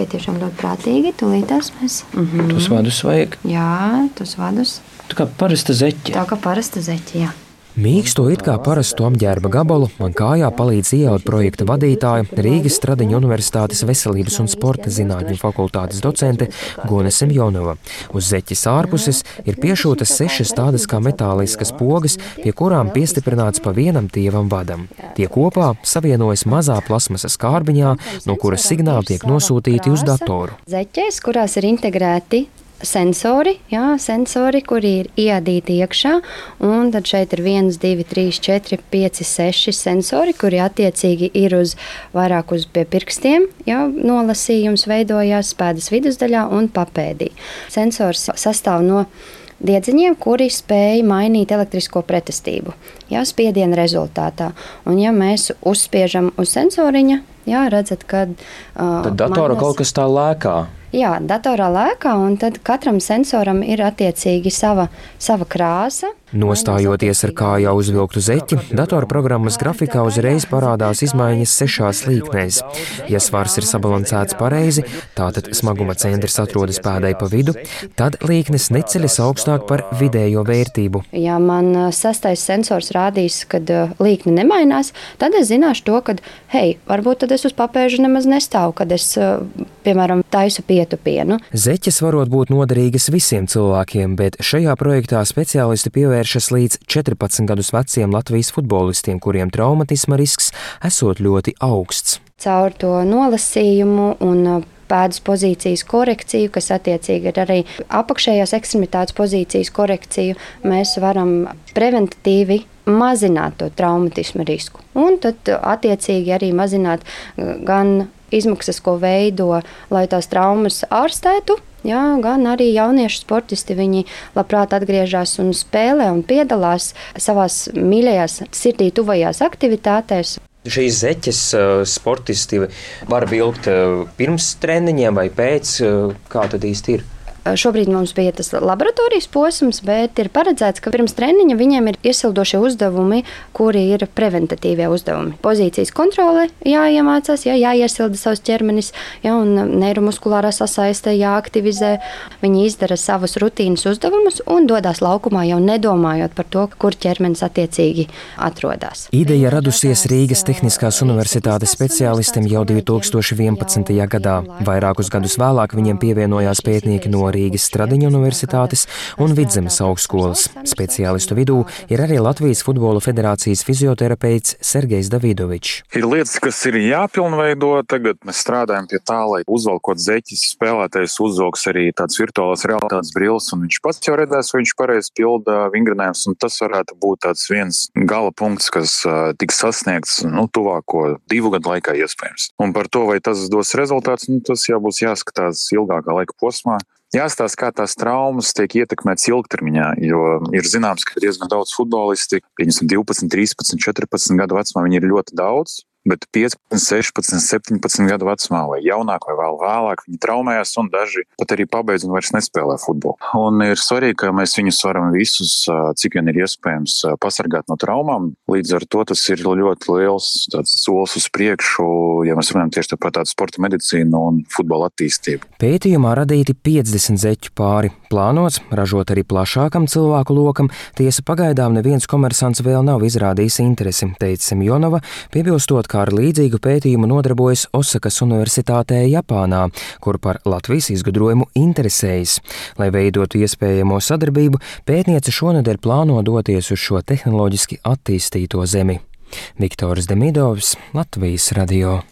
Zeķē tiešām ļoti prātīgi. Tūlītās mēs. Tos vadus vajag? Jā, tos vadus. Tā kā parasta zeķe. Tā kā parasta zeķe, jā. Mīksto it kā parastu apģērba gabalu man kājā palīdz ieaut projekta vadītāja, Rīgas Stradiņu Universitātes veselības un sporta zinātņu fakultātes docente Gone Semjonova. Uz zeķes ārpuses ir piešūtas 6 tādas kā metāliskas pogas, pie kurām piestiprināts pa vienam tievam vadam. Tie kopā savienojas mazā plasmasas kārbiņā, no kuras signāli tiek nosūtīti uz datoru. Zeķēs, kurās ir integrēti sensori, kuri ir iadīti iekšā, un tad šeit ir 1, 2, 3, 4, 5, 6 sensori, kuri attiecīgi ir vairāk uz pie pirkstiem, nolasījums veidojās pēdas vidusdaļā un papēdī. Sensors sastāv no diedziņiem, kuri spēj mainīt elektrisko pretestību, spiediena rezultātā. Un ja mēs uzspiežam uz sensoriņa, redzat, kad tad datora kaut kas tā lēkā. Jā, datorā lēkā, un tad katram sensoram ir attiecīgi sava krāsa. Nostājoties ar kājā uzvilktu zeķi, datorprogrammas grafikā uzreiz parādās izmaiņas 6 līknēs. Ja svars ir sabalansēts pareizi, tātad smaguma centrs atrodas pēdai pa vidu, tad līknes neceļas augstāk par vidējo vērtību. Ja man 6. sensors rādīs, kad līkne nemainās, tad es zināšu to, ka, varbūt tad es uz papēža nemaz nestāvu, kad es, piemēram, taisu pietupienu. Zeķes varot būt noderīgas visiem cilvēkiem, bet šajā projektā speciālisti pievēršas līdz 14 gadus veciem Latvijas futbolistiem, kuriem traumatisma risks esot ļoti augsts. Caur to nolasījumu un pēdas pozīcijas korekciju, kas attiecīgi ir arī apakšējās ekstremitātes pozīcijas korekciju, mēs varam preventatīvi mazināt to traumatisma risku. Un tad attiecīgi arī mazināt gan izmaksas, ko veido, lai tās traumas ārstētu, gan arī jauniešu sportisti, viņi labprāt atgriežas un spēlē un piedalās savās mīļajās, sirdī tuvajās aktivitātēs. Šīs zeķes sportisti var vilkt pirms treniņiem vai pēc, kā tad īsti ir? Šobrīd mums bija tas laboratorijas posms, bet ir paredzēts, ka pirms treniņa viņiem ir iesildošie uzdevumi, kuri ir preventatīvie uzdevumi. Pozīcijas kontrole jāiemācās, jāiesilda savs ķermenis, un neiromuskulārā sasaiste jāaktivizē. Viņi izdara savus rutīnas uzdevumus un dodas laukumā, jau nedomājot par to, kur ķermenis attiecīgi atrodas. Ideja radusies Rīgas Tehniskās universitātes speciālistiem jau 2011. gadā. Vairākus gadus vēlāk viņiem pievienojās pētnieki no Rīgas Stradiņu Universitātes un Vidzemes augstskolas. Speciālistu vidū ir arī Latvijas futbola federācijas fizioterapeits Sergejs Davidovičs. Ir lietas, kas ir jāpilnveido. Tagad mēs strādājam pie tā, lai uzvalkot zeķis, spēlētājs uzvalks arī tāds virtuālās realitātes brilles, un viņš pats jau redzēs, vai viņš pareizi pilda vingrinājumus, un tas varētu būt tāds viens gala punkts, kas tiks sasniegts tuvāko 2 gadu laikā iespējams. Un par to, vai tas dos rezultāts, tas jābūs jāskatās ilgākā laika posmā. Jāstāsta, kā tās traumas tiek ietekmētas ilgtermiņā, jo ir zināms, ka diezgan daudz futbolisti, 12, 13, 14 gadu vecumā, viņi ir ļoti daudz, bet 15, 16, 17 gadu vecumā vai jaunāk vai vēl vēlāk viņi traumējas un daži pat arī pabeidz un vairs nespēlē futbolu. Un ir svarīgi, ka mēs viņus varam visus, cik vien ir iespējams, pasargāt no traumām. Līdz ar to tas ir ļoti liels solis uz priekšu, ja mēs runājam tieši par tādu sporta medicīnu un futbola attīstību. Pētījumā radīti 50 zeķu pāri. Plānots ražot arī plašākam cilvēku lokam, tiesa pagaidām neviens komersants vēl nav izrādījis interesi, teica Semjonova, piebilstot, kā ar līdzīgu pētījumu nodarbojas Osakas Universitātē Japānā, kur par Latvijas izgudrojumu interesējas. Lai veidotu iespējamo sadarbību, pētniece šonedēļ plāno doties uz šo tehnoloģiski attīstīto zemi. Viktors Demidovs, Latvijas radio.